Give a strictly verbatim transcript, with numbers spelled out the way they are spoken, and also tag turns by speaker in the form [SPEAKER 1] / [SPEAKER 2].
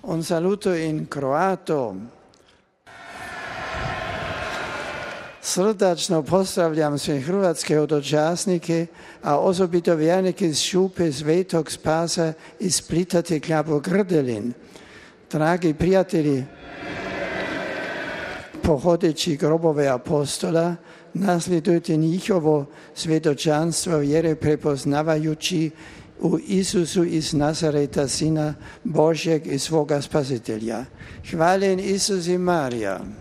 [SPEAKER 1] Un saluto in croato. Srdačno pozdravljam sve hrvatske hodočasnike, a osobito vjernike iz Šupe Svetog Spasa iz Splita te Kljabo-Grdelin. Dragi prijatelji, pohodeći grobove apostola, nasljedujte njihovo svjedočanstvo vjere prepoznavajući u Isusu iz Nazareta, Sina Božjeg i svoga Spasitelja. Hvaljen Isus i Marija.